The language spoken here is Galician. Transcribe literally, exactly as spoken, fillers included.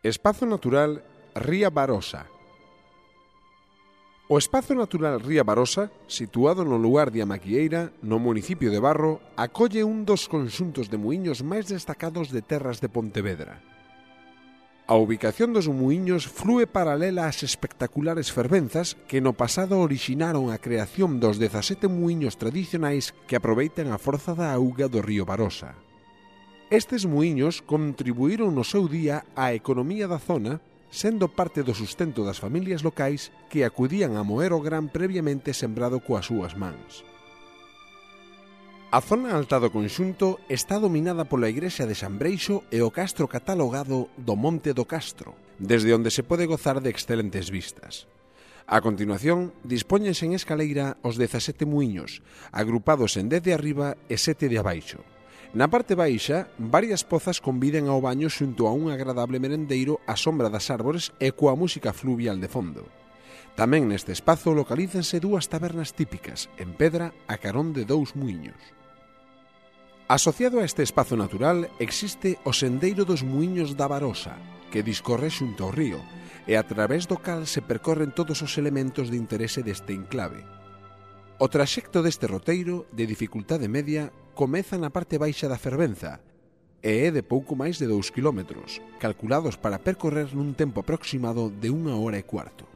Espazo natural Ría Barosa. O Espazo natural Ría Barosa, situado no lugar de Amaquieira, no municipio de Barro, acolle un dos conxuntos de muiños máis destacados de terras de Pontevedra. A ubicación dos muiños flúe paralela ás espectaculares fervenzas que no pasado orixinaron a creación dos dezasete muiños tradicionais que aproveitan a forza da auga do río Barosa. Estes muiños contribuíron no seu día á economía da zona, sendo parte do sustento das familias locais que acudían a moer o gran previamente sembrado coas súas mans. A zona alta do conxunto está dominada pola igrexa de San Breixo e o castro catalogado do Monte do Castro, desde onde se pode gozar de excelentes vistas. A continuación, dispóñense en escaleira os dezasete muiños, agrupados en dez de arriba e sete de abaixo. Na parte baixa, varias pozas conviden ao baño xunto a un agradable merendeiro á sombra das árbores e coa música fluvial de fondo. Tamén neste espazo localízanse dúas tabernas típicas, en pedra, a carón de dous muiños. Asociado a este espazo natural existe o Sendeiro dos Muiños da Barosa, que discorre xunto ao río, e a través do cal se percorren todos os elementos de interese deste enclave. O traxecto deste roteiro, de dificultade media, comeza na parte baixa da fervenza e é de pouco máis de dous quilómetros, calculados para percorrer nun tempo aproximado de unha hora e cuarto.